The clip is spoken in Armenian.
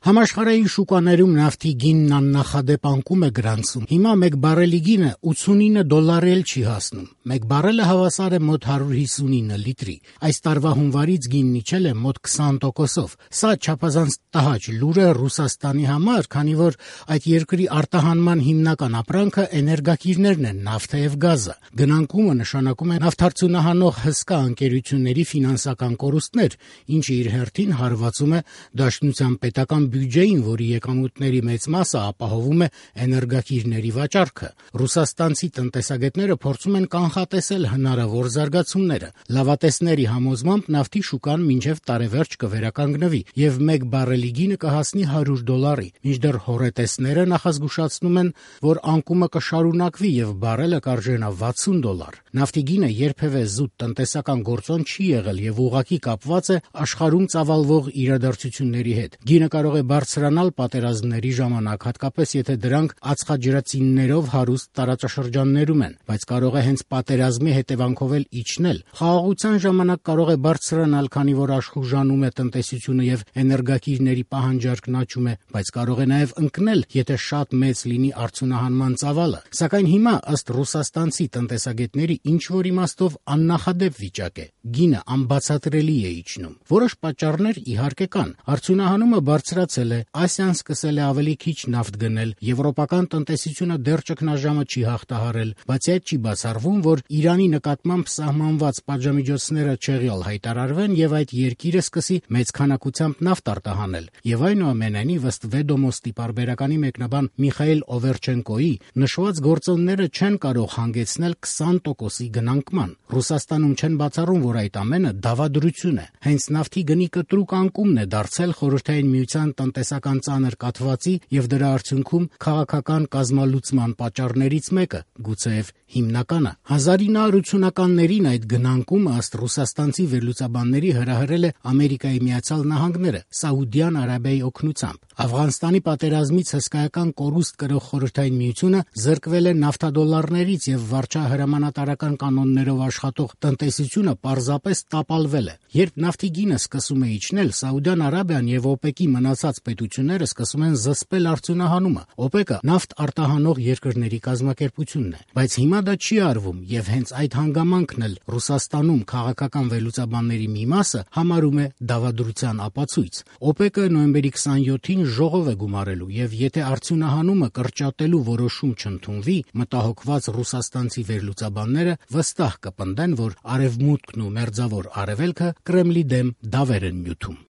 Համաշխարհային շուկաներում նավթի գինն աննախադեպ անկում է գրանցում։ Հիմա 1 բարելի գինը $89 էլ չի հասնում։ 1 բարելը հավասար է մոտ 159 լիտրի։ Այս տարվա հունվարից գինն իջել է մոտ 20%-ով։ Սա չափազանց տհաճ լուր է Ռուսաստանի համար, քանի որ այդ երկրի արտահանման հիմնական ապրանքը էներգակիրներն են՝ նավթը եւ գազը։ Գնանկումը նշանակում է նավթարդյունահանող հսկա ընկերությունների ֆինանսական կորուստներ, ինչը իր հերթին հարվածում է Դաշնության պետական բյուջեին, որի եկամուտների մեծ մասը ապահովում է էներգակիրների վաճառքը։ Ռուսաստանցի տնտեսագետները փորձում են կանխատեսել հնարավոր զարգացումները։ Լավատեսների համոզմամբ նավթի շուկան մինչև տարեվերջ կվերականգնվի եւ 1 բարելի գինը կհասնի $100, մինչդեռ հոռետեսները նախազգուշացնում են, որ անկումը կշարունակվի եւ բարելը կարժենա $60։ Նավթի գինը երբևէ զուտ տնտեսական գործոն չի եղել եւ ուղղակի կապված է աշխարհում ծավալվող իրադարձությունների հետ։ Գինը կարող է բարձրանալ պատերազմների ժամանակ, հատկապես եթե դրանք ածխաջրածիններով հարուստ տարածաշրջաններում են, բայց կարող է հենց պատերազմի հետևանքով էլ իջնել։ Խաղաղության ժամանակ կարող է բարձրանալ, քանի որ աշխուժանում է տնտեսությունը եւ էներգակիրների պահանջարկն աճում է, բայց կարող է նաեւ ընկնել, եթե շատ մեծ լինի արդյունահանման ծավալը։ Սակայն հիմա, ըստ ռուսաստանցի տնտեսագետների, ինչ որ իմաստով աննախադեպ վիճակ է։ Գինը անբացատրելի է իջնում։ Որոշ պատճառներ իհարկե կան։ Արդյունահանումը բարձրացել է, Ասիան սկսել է ավելի քիչ նավթ գնել, եվրոպական տնտեսությունը դեռ ճգնաժամը չի հաղթահարել, բացի այդ չի բացառվում, որ Իրանի նկատմամբ սահմանված պատժամիջոցները չեղյալ հայտարարվեն եւ այդ երկիրը սկսի մեծ քանակությամբ նավթ արտահանել։ Եվ այնուամենայնիվ, ըստ Վեդոմոստի պարբերականի մեկնաբան Միխայել Օվերչենկոյի, նշված գործոնները չեն կարող հանգեցնել 20%-ի գնանկման։ Ռուսաստանում չեն բացառում, որ այդ ամենը դավադրություն է։ Հենց նավթի գնի կտրուկ անկումն է դարձել Խորհրդային Միության տնտեսական ծանր կաթվածի եւ դրա արդյունքում քաղաքական կազմալուծման պատճառներից մեկը, գուցեև հիմնականը։ 1980-ականներին այդ գնանկումը, ըստ ռուսաստանցի վերլուծաբանների, հրահրել է Ամերիկայի Միացյալ Նահանգները Սաուդյան Արաբիայի օգնությամբ։ Աֆղանստանի պատերազմից հսկայական կորուստ կրող Խորհրդային Միությունը զրկվել է նավթադոլարներից եւ վարչահրամանատարական կանոններով աշխատող տնտեսությունը պարզապես տապալվել է։ Երբ նավթի գինը սկսում է իջնել, Սաուդյան Արաբիան եւ ՕՊԵԿ-ի մնացած պետությունները սկսում են զսպել արդյունահանումը։ ՕՊԵԿ-ը նավթ արտահանող երկրների կազմակերպությունն է, բայց հիմա դա չի արվում եւ հենց այդ հանգամանքն էլ Ռուսաստանում քաղաքական վերլուծաբանների մի մասը համարում է դավադրության ապացույց։ ՕՊԵԿ-ը նոյեմբերի 27-ին ժողով է գումարելու եւ եթե արդյունահանումը կրճատելու որոշում չընդունվի, մտահոգված ռուսաստանցի վերլուծաբանները վստահ կպնդեն, որ Արևմուտքն ու Մերձավոր Արևելքը Կրեմլի դեմ դավեր են նյութում։